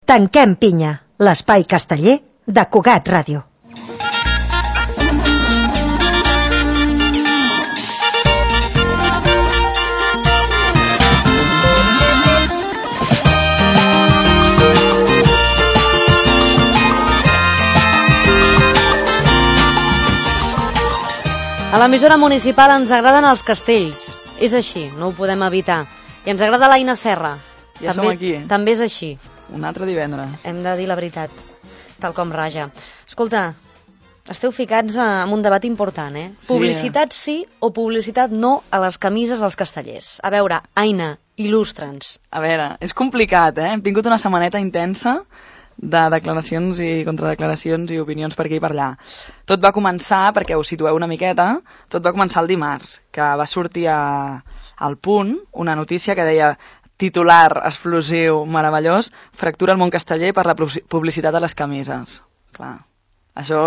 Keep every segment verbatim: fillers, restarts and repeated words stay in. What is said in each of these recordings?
Tanquem pinya, l'espai casteller de Cugat Ràdio. A l'emissora municipal ens agraden els castells. És així, no ho podem evitar. I ens agrada l'Aina Serra. Ja també, som aquí. També és així. Un altre divendres. Hem de dir la veritat, tal com raja. Escolta, esteu ficats en un debat important, eh? Sí. Publicitat sí o publicitat no a les camises dels castellers. A veure, Aina, il·lustra'ns. A veure, és complicat, eh? Hem tingut una setmaneta intensa de declaracions i contradeclaracions i opinions per aquí i per allà. Tot va començar, perquè us situeu una miqueta, tot va començar el dimarts, que va sortir a, al Punt una notícia que deia titular explosiu, meravellós, fractura el món casteller per la publicitat a les camises. Clar, això,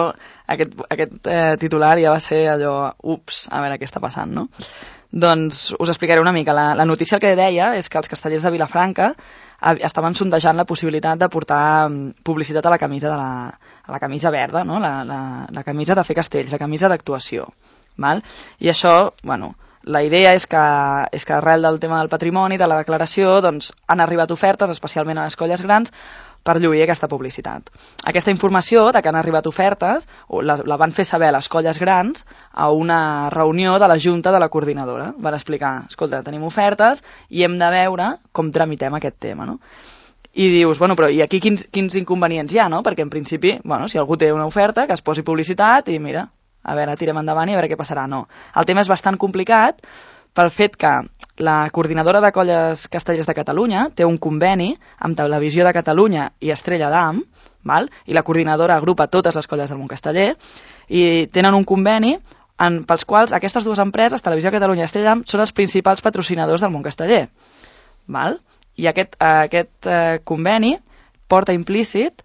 aquest, aquest eh, titular ja va ser allò, ups, a veure què està passant, no? Doncs us explicaré una mica. La, la notícia el que deia és que els castellers de Vilafranca estaven sondejant la possibilitat de portar publicitat a la camisa de la, a la camisa verda, no? la, la, la camisa de fer castells, la camisa d'actuació. Val? I això, bueno, la idea és que, és que arrel del tema del patrimoni, de la declaració, doncs, han arribat ofertes, especialment a les colles grans, per lluir aquesta publicitat. Aquesta informació de que han arribat ofertes la, la van fer saber a les colles grans a una reunió de la Junta de la Coordinadora. Van explicar, escolta, tenim ofertes i hem de veure com tramitem aquest tema, no? I dius, bueno, però i aquí quins, quins inconvenients hi ha, no? Perquè en principi, bueno, si algú té una oferta, que es posi publicitat i mira, a veure, tirem endavant i a veure què passarà. No. El tema és bastant complicat pel fet que la Coordinadora de Colles Castellers de Catalunya té un conveni amb Televisió de Catalunya i Estrella d'Am, val? I la coordinadora agrupa totes les colles del món casteller, i tenen un conveni en, pels quals aquestes dues empreses, Televisió de Catalunya i Estrella d'Am, són els principals patrocinadors del món casteller. Val? I aquest, aquest eh, conveni porta implícit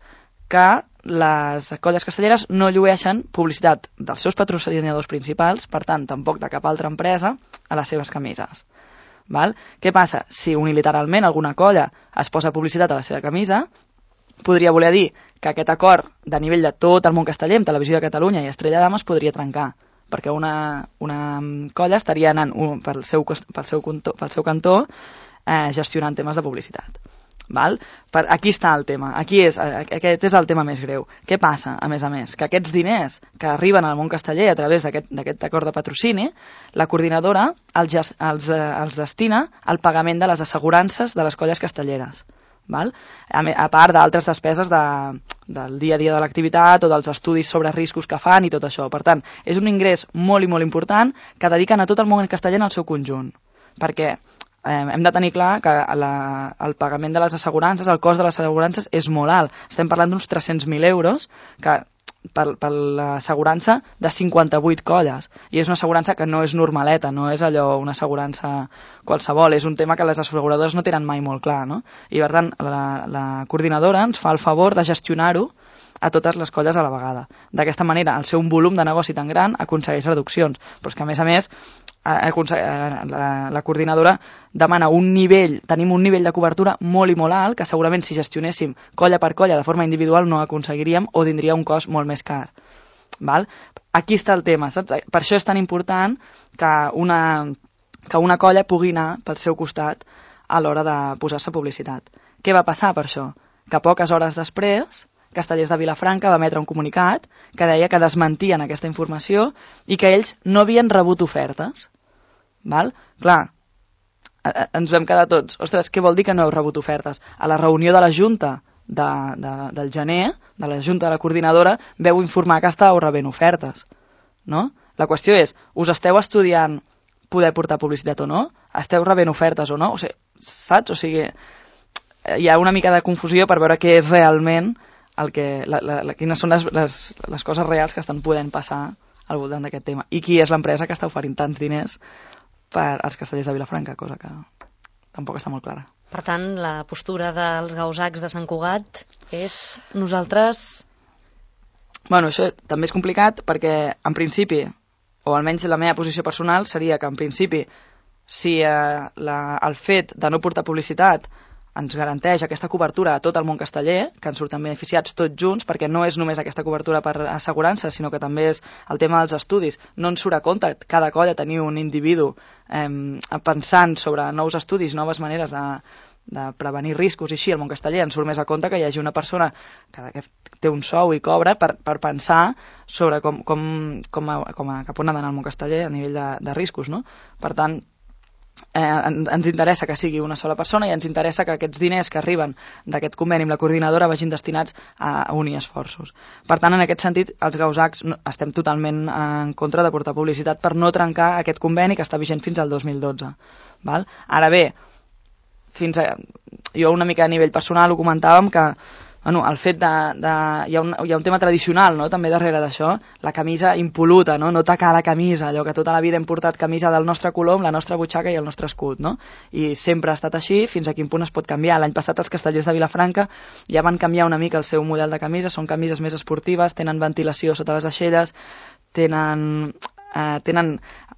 que les colles castelleres no llueixen publicitat dels seus patrocinadors principals, per tant, tampoc de cap altra empresa, a les seves camises. Val? Què passa? Si unilateralment alguna colla es posa publicitat a la seva camisa, podria voler dir que aquest acord de nivell de tot el món casteller, amb Televisió de Catalunya i Estrella d'Am, es podria trencar, perquè una, una colla estaria anant un, pel, seu, pel, seu cantó, pel seu cantó eh, gestionant temes de publicitat. Val? Per, aquí està el tema, aquí és, aquest és el tema més greu. Què passa, a més a més? Que aquests diners que arriben al món casteller a través d'aquest acord de patrocini, la coordinadora els, els, els destina al pagament de les assegurances de les colles castelleres. Val? A, a part d'altres despeses de, del dia a dia de l'activitat o dels estudis sobre riscos que fan i tot això. Per tant, és un ingrés molt i molt important que dediquen a tot el món casteller en el seu conjunt. Perquè Eh, hem de tenir clar que la, el pagament de les assegurances, el cost de les assegurances és molt alt. Estem parlant d'uns tres-cents mil euros que, per, per l'assegurança de cinquanta-vuit colles. I és una assegurança que no és normaleta, no és allò una assegurança qualsevol. És un tema que les asseguradores no tenen mai molt clar, no? I per tant, la, la coordinadora ens fa el favor de gestionar-ho a totes les colles a la vegada. D'aquesta manera, al ser un volum de negoci tan gran, aconsegueix reduccions. Però és que, a més a més, la, la coordinadora demana un nivell, tenim un nivell de cobertura molt i molt alt, que segurament si gestionéssim colla per colla de forma individual no aconseguiríem o tindria un cost molt més car. Val? Aquí està el tema, saps? Per això és tan important que una, que una colla pugui anar pel seu costat a l'hora de posar-se publicitat. Què va passar per això? Que poques hores després Castellers de Vilafranca va emetre un comunicat que deia que desmentien aquesta informació i que ells no havien rebut ofertes. Val? Clar, ens vam quedar tots. Ostres, què vol dir que no heu rebut ofertes? A la reunió de la Junta de, de, del gener, de la Junta de la Coordinadora, veu informar que estàveu rebent ofertes. No? La qüestió és, us esteu estudiant poder portar publicitat o no? Esteu rebent ofertes o no? O sigui, saps? O sigui, hi ha una mica de confusió per veure què és realment el que, la, la, la, quines són les, les, les coses reals que estan podent passar al voltant d'aquest tema. I qui és l'empresa que està oferint tants diners per als castellers de Vilafranca, cosa que tampoc està molt clara. Per tant, la postura dels gausacs de Sant Cugat és nosaltres... Bueno, això també és complicat perquè, en principi, o almenys la meva posició personal seria que, en principi, si eh, la, el fet de no portar publicitat ens garanteix aquesta cobertura a tot el món casteller, que ens surten beneficiats tots junts, perquè no és només aquesta cobertura per assegurança, sinó que també és el tema dels estudis. No ens surt a compte cada colla tenir un individu eh, pensant sobre nous estudis, noves maneres de, de prevenir riscos i així. El món casteller ens surt més a compte que hi hagi una persona que, que té un sou i cobra per, per pensar sobre com, com, com, a, com a, cap on ha d'anar el món casteller a nivell de, de riscos, no? Per tant, Eh, ens interessa que sigui una sola persona i ens interessa que aquests diners que arriben d'aquest conveni amb la coordinadora vagin destinats a unir esforços. Per tant, en aquest sentit, els Gausacs estem totalment en contra de portar publicitat per no trencar aquest conveni que està vigent fins al dos mil dotze. Val? Ara bé, fins a, jo una mica a nivell personal ho comentàvem que bueno, el fet de... de hi, ha un, hi ha un tema tradicional, no?, també darrere d'això, la camisa impoluta, no?, no tacar la camisa, allò que tota la vida hem portat camisa del nostre color amb la nostra butxaca i el nostre escut, no? I sempre ha estat així, fins a quin punt es pot canviar. L'any passat els castellers de Vilafranca ja van canviar una mica el seu model de camisa, són camises més esportives, tenen ventilació sota les aixelles, tenen... Eh, tenen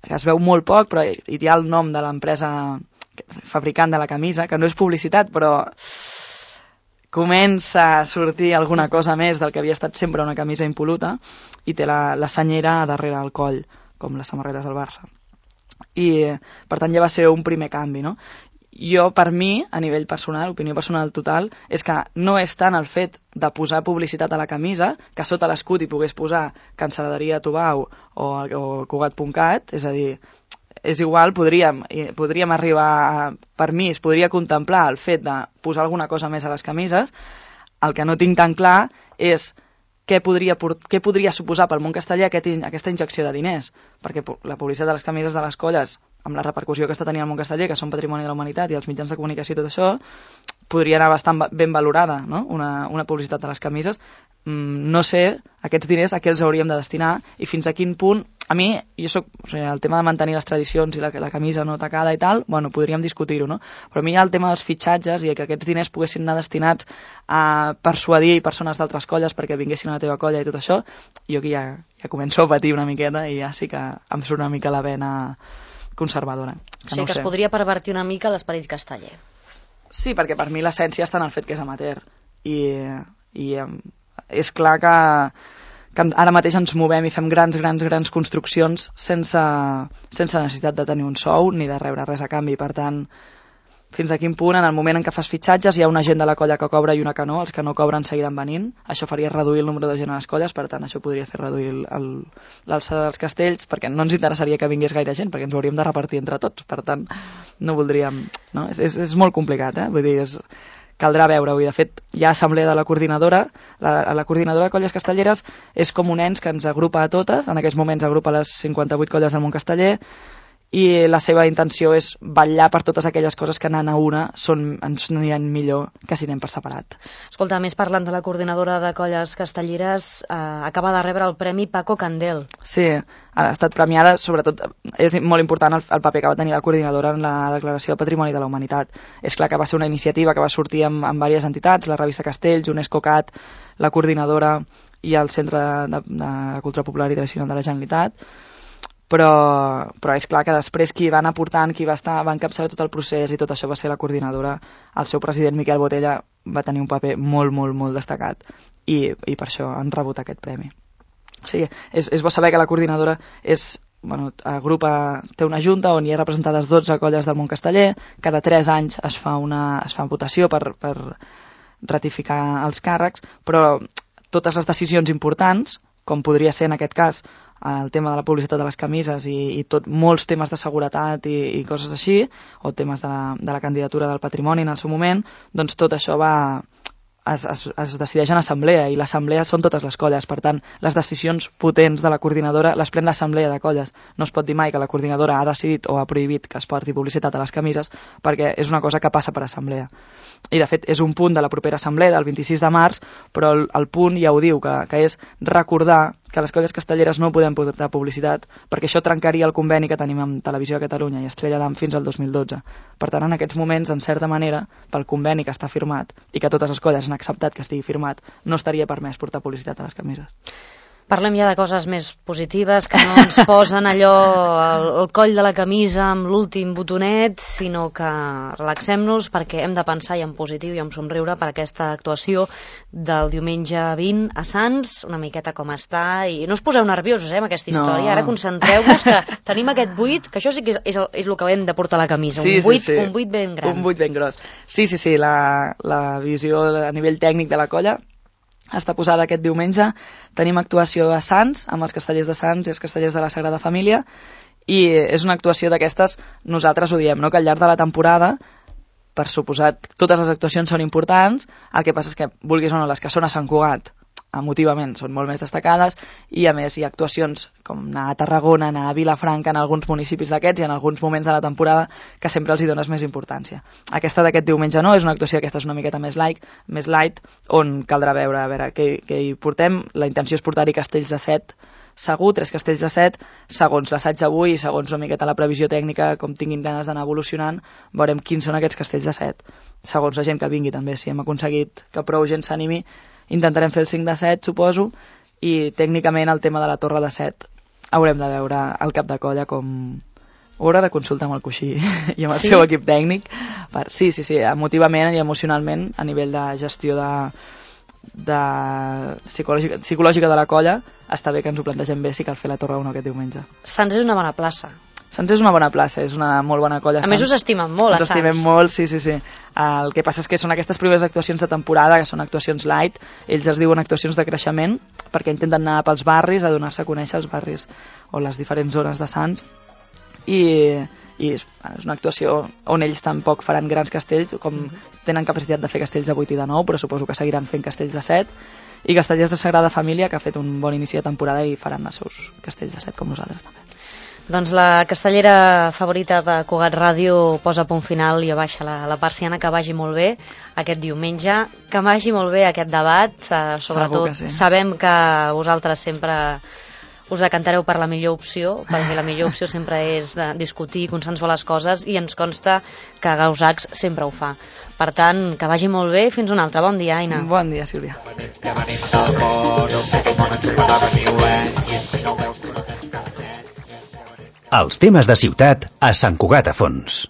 es veu molt poc, però hi ha el nom de l'empresa fabricant de la camisa, que no és publicitat, però comença a sortir alguna cosa més del que havia estat sempre una camisa impoluta, i té la, la senyera darrere el coll, com les samarretes del Barça. I, per tant, ja va ser un primer canvi, no? Jo, per mi, a nivell personal, opinió personal total, és que no és tant el fet de posar publicitat a la camisa, que sota l'escut hi pogués posar Cancel·laderia Tubau o, o Cugat punt cat, és a dir, és igual, podríem, podríem arribar a, per mi, es podria contemplar el fet de posar alguna cosa més a les camises. El que no tinc tan clar és què podria, què podria suposar pel món casteller aquest, aquesta injecció de diners, perquè la publicitat de les camises de les colles, amb la repercussió que està tenint el món casteller, que són patrimoni de la humanitat, i els mitjans de comunicació i tot això, podria anar bastant ben valorada, no? una, una publicitat de les camises. Mm, no sé aquests diners a què els hauríem de destinar i fins a quin punt. A mi, jo soc, o sigui, el tema de mantenir les tradicions i la, la camisa no tacada i tal, bueno, podríem discutir-ho, no? Però a mi hi ha el tema dels fitxatges i que aquests diners poguessin anar destinats a persuadir persones d'altres colles perquè vinguessin a la teva colla i tot això, jo aquí ja, ja començo a patir una miqueta i ja sí que em surt una mica la vena conservadora. Que o sigui no que sé. Es podria pervertir una mica l'esperit casteller. Sí, perquè per mi l'essència està en el fet que és amateur. I, i és clar que, que ara mateix ens movem i fem grans, grans, grans construccions sense, sense necessitat de tenir un sou ni de rebre res a canvi. Per tant, fins a quin punt, en el moment en què fas fitxatges, hi ha una gent de la colla que cobra i una que no, els que no cobren seguiran venint. Això faria reduir el número de gent a les colles, per tant, això podria fer reduir l'alçada dels castells, perquè no ens interessaria que vingués gaire gent, perquè ens ho hauríem de repartir entre tots. Per tant, no voldríem... No? És, és, és molt complicat, eh? Vull dir, és... caldrà veure-ho, i de fet hi ha assemblea de la coordinadora, la, la coordinadora de colles castelleres és com un ens que ens agrupa a totes, en aquests moments agrupa les cinquanta-vuit colles del món casteller, i la seva intenció és vetllar per totes aquelles coses que anant a una són, ens aniran millor que si anem per separat. Escolta, més parlant de la coordinadora de colles castelleres, eh, acaba de rebre el Premi Paco Candel. Sí, ha estat premiada, sobretot és molt important el, el paper que va tenir la coordinadora en la declaració de Patrimoni de la Humanitat. És clar que va ser una iniciativa que va sortir amb, amb diverses entitats, la revista Castells, UNESCO Cat, la coordinadora i el Centre de, de Cultura Popular i Tradicional de la Generalitat. Però, però és clar que després qui va anar portant, qui va estar, va encapçalar tot el procés i tot això va ser la coordinadora. El seu president Miquel Botella va tenir un paper molt, molt, molt destacat i, i per això han rebut aquest premi. O sigui, és, és bo saber que la coordinadora és, bueno, agrupa, té una junta on hi ha representades dotze colles del món casteller, cada tres anys es fa una es fa votació per, per ratificar els càrrecs, però totes les decisions importants, com podria ser en aquest cas el tema de la publicitat de les camises i, i tot, molts temes de seguretat i, i coses així, o temes de la, de la candidatura del patrimoni en el seu moment, doncs tot això va, es, es, es decideix en assemblea, i l'assemblea són totes les colles. Per tant, les decisions potents de la coordinadora les pren l'assemblea de colles. No es pot dir mai que la coordinadora ha decidit o ha prohibit que es porti publicitat a les camises, perquè és una cosa que passa per assemblea. I de fet és un punt de la propera assemblea del vint-i-sis de març, però el, el punt ja ho diu, que, que és recordar que les colles castelleres no podem portar publicitat perquè això trencaria el conveni que tenim amb Televisió de Catalunya i Estrella d'Am fins al dos mil dotze. Per tant, en aquests moments, en certa manera, pel conveni que està firmat i que totes les colles han acceptat que estigui firmat, no estaria permès portar publicitat a les camises. Parlem ja de coses més positives, que no ens posen allò al, al coll de la camisa amb l'últim botonet, sinó que relaxem-nos perquè hem de pensar i en positiu i en somriure per aquesta actuació del diumenge vint a Sants, una miqueta com està, i no us poseu nerviosos eh, amb aquesta història, no. Ara concentreu-vos que tenim aquest buit, que això sí que és, és, el, és el que hem de portar a la camisa, sí, un, buit, sí, sí. un buit ben gran. Un buit ben gros. Sí, sí, sí, la, la visió a nivell tècnic de la colla està posada aquest diumenge. Tenim actuació a Sants, amb els castellers de Sants i els castellers de la Sagrada Família, i és una actuació d'aquestes, nosaltres ho diem, no? Que al llarg de la temporada, per suposat, totes les actuacions són importants, el que passa és que, vulguis o no, les que són a Sant Cugat, emotivament són molt més destacades, i a més hi ha actuacions com anar a Tarragona, anar a Vilafranca, en alguns municipis d'aquests i en alguns moments de la temporada que sempre els hi dones més importància. Aquesta d'aquest diumenge no, és una actuació aquesta és una miqueta més light, més light, on caldrà veure, a veure què, què hi portem. La intenció és portar-hi castells de set, segur, tres castells de set, segons l'assaig d'avui i segons una miqueta la previsió tècnica, com tinguin ganes d'anar evolucionant, veurem quins són aquests castells de set, segons la gent que vingui també. Si hem aconseguit que prou gent s'animi, intentarem fer el cinc de set, suposo, i tècnicament el tema de la torre de set haurem de veure el cap de colla com... Ho haurà de consultar amb el coixí i amb el sí? seu equip tècnic. Per... Sí, sí, sí, emotivament i emocionalment, a nivell de gestió de, de psicològica, psicològica de la colla, està bé que ens ho plantegem bé si cal fer la torre o no aquest diumenge. Sants és una bona plaça. Sants és una bona plaça, és una molt bona colla. A Sants. Més us estimen molt, a Sants. Us estimem molt, sí, sí, sí. El que passa és que són aquestes primeres actuacions de temporada, que són actuacions light, ells es diuen actuacions de creixement, perquè intenten anar pels barris, a donar-se a conèixer els barris o les diferents zones de Sants, i, i és una actuació on ells tampoc faran grans castells, com tenen capacitat de fer castells de vuit i de nou, però suposo que seguiran fent castells de set, i castellers de Sagrada Família, que ha fet un bon inici de temporada i faran els seus castells de set com nosaltres també. Doncs la castellera favorita de Cugat Ràdio posa punt final i abaixa la, la persiana. Que vagi molt bé aquest diumenge, que vagi molt bé aquest debat, eh, sobretot sí. Sabem que vosaltres sempre us decantareu per la millor opció, perquè la millor opció sempre és de discutir, consensuar les coses, i ens consta que Gausacs sempre ho fa. Per tant, que vagi molt bé, fins un altre. Bon dia, Aina. Bon dia, Sílvia. Els temes de ciutat a Sant Cugat a Fons.